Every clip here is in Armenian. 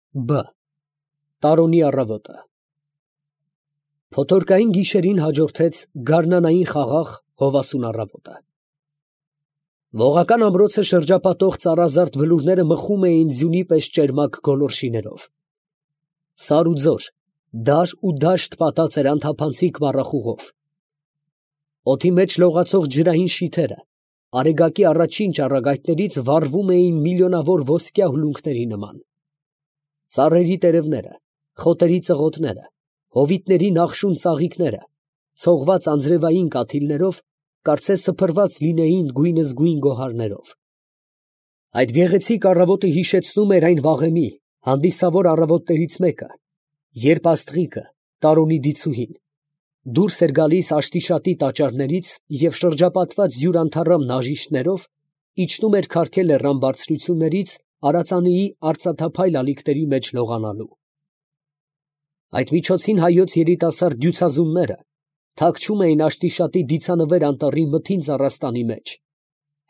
Բ. Տարոնի առավոտը։ Փոթորկային գիշերին հաջորդեց գարնանային խաղաղ հովասուն առավոտը։ Ողական ամրոցը շրջապատող ծառազարդ բլուրները մխում էին ձյունի պես ճերմակ գոլորշիներով։ Սար ու ձոր, դար ու դաշտ պատած էր անթափանցիկ մառախուղով։ Օդի մեջ լողացող ջրային շիթերը արեգակի առաջին ճառագայթներից վառվում էին միլիոնավոր ոսկյա հուլունքների նման։ Ծառերի տերևները, խոտերի ծղոտները, հովիտների նախշուն ծաղիկները, ցողված անձրևային կաթիլներով, կարծես սփռված լինեին գույնզգույն գոհարներով։ Այդ գեղեցիկ առավոտը հիշեցնում էր այն վաղեմի հանդիսավոր առավոտներից մեկը, երբ աստղիկը, Տարոնի դիցուհին, դուրս էր գալիս աշտիշատի տաճարներից և շրջապատված յուրանդառամ նաժիշտներով իջնում էր քարքե լեռան բարձրություններից Արածանիի արծաթափայլ ալիքների մեջ լողանալու։ Այդ միջոցին հայոց երիտասարդ դյուցազունները թաքչում էին աշտիշատի դիցանվեր անտառի մթին ծառաստանի մեջ,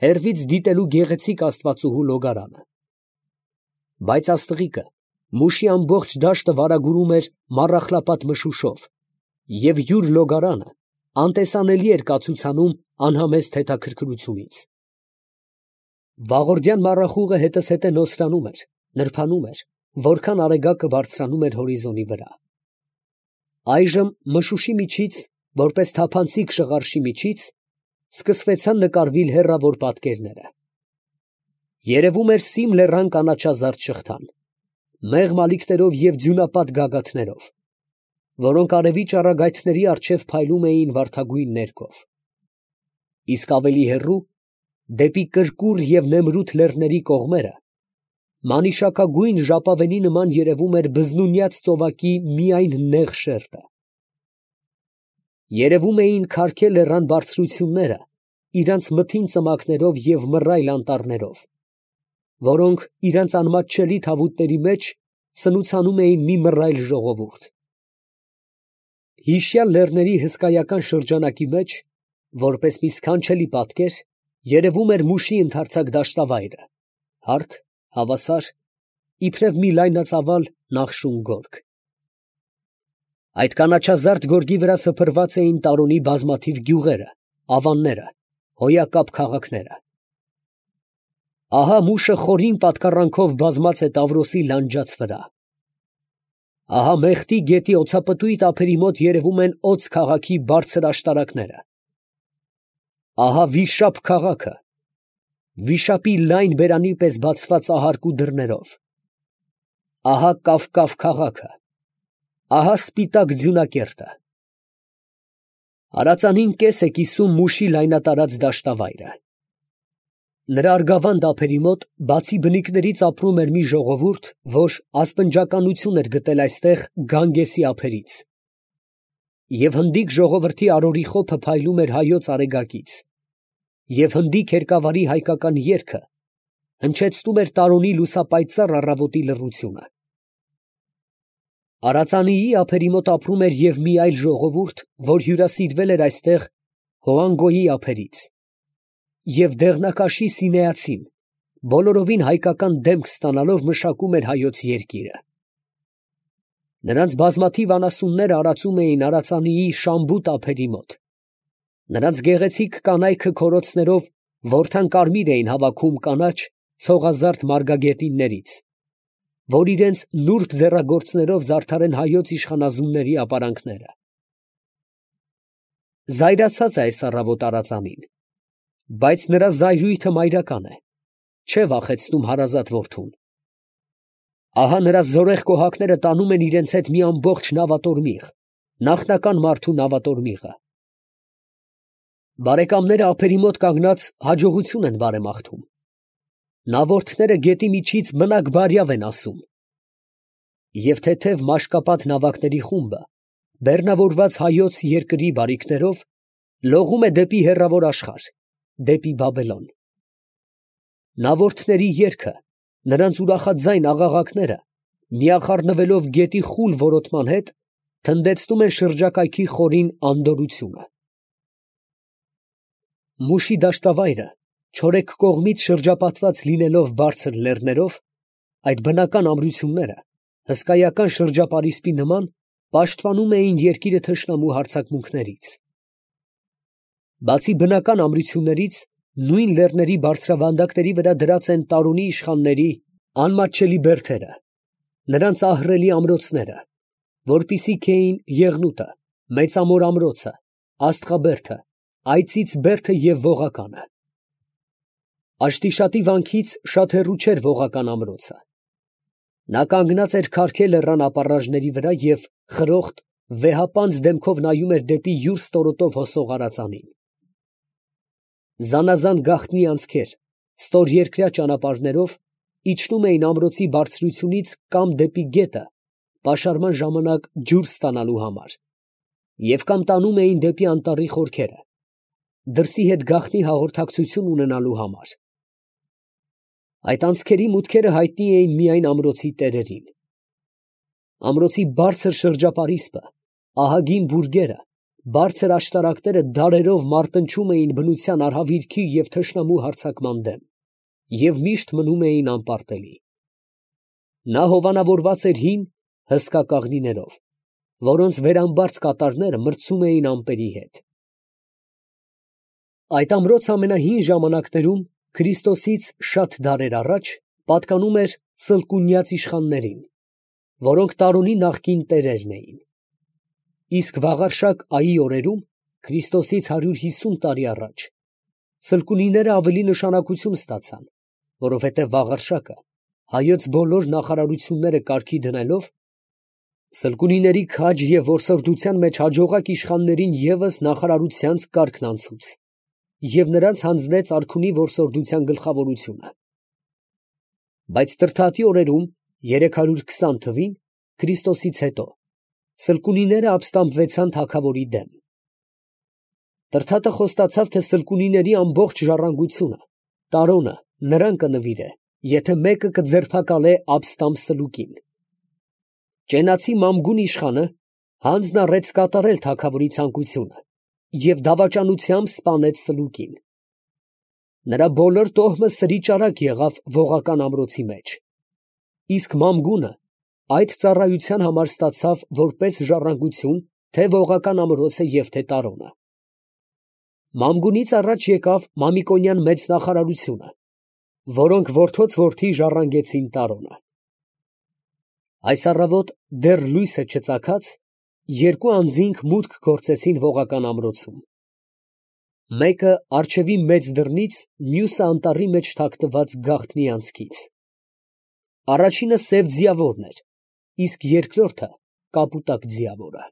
հեռվից դիտելու գեղեցիկ աստվածուհու լոգարանը։ Բայց աստղիկը մուշի ամբողջ դաշտը վարագուրում էր մառախլապատ մշուշով, և յուր լոգարանը անտեսանելի էր կացուցանում անհամեստ հետաքրքրությունից։ Վաղորդյան մառախուղը հետզհետե նոսրանում էր, նրբանում էր, որքան արեգակը բարձրանում էր հորիզոնի վրա։ Այժմ մշուշի միջից, որպես թափանցիկ շղարշի միջից, սկսվեցան նկարվել հեռավոր պատկերները։ Երևում էր Սիմ լեռան կանաչազարդ շղթան, մեղմ ալիքներով և ձյունապատ գագաթներով, որոնք արևի ճառագայթների առջև փայլում էին վարդագույն ներկով։ Իսկ ավելի հեռու, դեպի կրկուր և նեմրութ լեռների կողմերը, մանիշակագույն ժապավենի նման երևում էր բզնունյաց ծովակի միայն նեղ շերտը։ Երևում էին քարքե լեռան բարձրությունները իրանց մթին ծմակներով և մռայլ անտառներով, որոնք իրանց անմատչելի թավուտների մեջ սնուցանում էին մի մռայլ ժողովուրդ։ Հիշյալ լեռների հսկայական շրջանակի մեջ, որպես մի սքանչելի պատկեր, երևում էր մուշի ընդարձակ դաշտավայրը, հարթ, հավասար, իբրև մի լայնածավալ նախշուն գորգ։ Այդ կանաչազարդ գորգի վրա սփռված էին Տարոնի բազմաթիվ գյուղերը, ավանները, հոյակապ քաղաքները։ Ահա մուշը խորին պատկառանքով բազմած է Տավրոսի լանջաց վրա։ Ահա Մեղդի գետի օձապտույտ ափերի մոտ երևում են Օձ քաղաքի բարձր աշտարակները։ Ահա Վիշապ քաղաքը, վիշապի լայն բերանի պես բացված ահարկու դռներով։ Ահա Կավկավ քաղաքը, ահա սպիտակ ձյունակերտը։ Արածանին կես է կիսում մուշի լայնատարած դաշտավայրը։ Նրա արգավանդ ափերի մոտ, բացի բնիկներից, ապրում էր մի ժողովուրդ, որ ասպնջականություն էր գտել այստեղ Գանգեսի ափերից։ Եվ հնդիկ ժողովրդի արորի խոփը փայլում էր հայոց արեգակից, և հնդիկ հերկավարի հայկական երգը հնչեցնում էր Տարոնի լուսապայծառ առավոտի լռությունը։ Արածանիի ափերի մոտ ապրում էր և մի այլ ժողովուրդ, որ հյուրասիրվել էր այստեղ Հոանգոյի ափերից, և դեղնակաշի սինեացին, բոլորովին հայկական դեմք ստանալով, մշակում էր հայոց երկիրը։ Նրանց բազմաթիվ անասունները արածում էին Արածանիի Շամբուտ ափերի մոտ։ Նրանց գեղեցիկ կանայքը քորոցներով որդան կարմիր էին հավաքում կանաչ ցողազարդ մարգագետիններից, որ իրենց նուրբ ձեռագործներով զարդարեն հայոց իշխանազունների ապարանքները։ Զայրացած է այս առավոտ Արածանին, բայց նրա զայրույթը մայրական է, չէ վախեցնում հարազատ որդուն։ Ահա նրա զորեղ կոհակները տանում են իրենց հետ մի ամբողջ նավատորմիղ, նախնական մարդու նավատորմիղը։ Բարեկամները ափերի մոտ կանգնած հաջողություն են բարեմաղթում։ Նավորդները գետի միջից մնաք բարյավ են ասում։ Եվ թեթև մաշկապատ նավակների խումբը, բեռնավորված հայոց երկրի բարիքներով, լողում է դեպի հեռավոր աշխարհ, դեպի Բաբելոն։ Նավորդների երգը, նրանց ուրախաձայն աղաղակները, միախառնվելով գետի խուլ որոտման հետ, թնդեցնում են շրջակայքի խորին անդորրությունը։ Մուշի դաշտավայրը, չորեքք կողմից շրջապատված լինելով բարձր լեռներով, այդ բնական ամրությունները հսկայական շրջապարիսպի նման պաշտպանում էին երկիրը թշնամու հարձակմունքներից։ Բացի բնական ամրություններից, նույն լեռների բարձրավանդակների վրա դրած են Տարոնի իշխանների անմատչելի բերդերը, նրանց ահռելի ամրոցները, որպիսի քեյին Եղնուտը, Մեծամոր ամրոցը, Աստղաբերդը, Այծից բերդը և Ողականը։ Աշտիշատի վանքից շատ հեռու չէր Ողական ամրոցը։ Նա կանգնած էր քարքե լեռան ապառաժների վրա և խրոխտ, վեհապանծ դեմքով նայում էր դեպի յուր ստորոտով հոսող արածանին։ Զանազան գաղտնի անցքեր, ստորերկրյա ճանապարհներով իջնում էին ամրոցի բարձրությունից կամ դեպի գետը, պաշարման ժամանակ ջուր ստանալու համար, և կամ տանում էին դեպի անտառի խորքերը, դրսի հետ գաղտնի հաղորդակցություն ունենալու համար։ Այդ անցքերի մուտքերը հայտնի էին միայն ամրոցի տերերին։ Ամրոցի բարձր շրջապարիսպը, ահագին բուրգերը, բարձր աշտարակները դարերով մարտնչում էին բնության արհավիրքի և թշնամու հարձակման դեմ և միշտ մնում էին անպարտելի։ Նա հովանավորված էր հին, հսկա կաղնիներով, որոնց վերամբարձ կատարները մրցում էին ամպերի հետ։ Այդ ամրոցը ամենահին ժամանակներում, Քրիստոսից շատ դարեր առաջ, պատկանում էր Սլկունյաց իշխաններին, որոնք Տարոնի նախկին տերերն էին։ Իսկ Վաղարշակ Այի օրերում, Քրիստոսից 150 տարի առաջ, Սլկունիները ավելի նշանակություն ստացան, որովհետև Վաղարշակը հայոց բոլոր նախարարությունները կարգի դնելով, Սլկունիների քաջ և որսորդության մեջ հաջողակ իշխաններին ևս նախարարությանց կարգն անցուց և նրանց հանձնեց արքունի որսորդության գլխավորությունը։ Բայց Տրդատի օրերում, 320 թվին, Քրիստոսից հետո, Սլկունիները ապստամբվեցան թագավորի դեմ։ Տրդատը խոստացավ, թե Սլկունիների ամբողջ ժառանգությունը, Տարոնը նրան կնվիրե, եթե մեկը կձերբակալե ապստամբ Սլուկին։ Ճենացի Մամգուն իշխանը հանձն առեց կատարել թագավորի ցանկությունը և դավաճանությամբ սպանեց Սլուկին։ Նրա բոլոր տոհմը սրիճարակ եղավ Ողական ամրոցի մեջ, իսկ Մամգունը այդ ծառայության համար ստացավ որպես ժառանգություն թե Ողական ամրոցը և թե Տարոնը։ Մամգունից առաջ եկավ Մամիկոնյան մեծ նախարարությունը, որոնք որդոց որդի ժառանգեցին Տարոնը։ Այս առավոտ դեռ լույսը չծագած, երկու անձինք մուտք գործեցին Ողական ամրոցում։ Մեկը առջևի մեծ դռնից, մյուսը անտառի մեջ թաքնված գաղտնի անցքից։ Առաջինը սև ձիավորն էր, իսկ երկրորդը կապուտակ ձիավորը։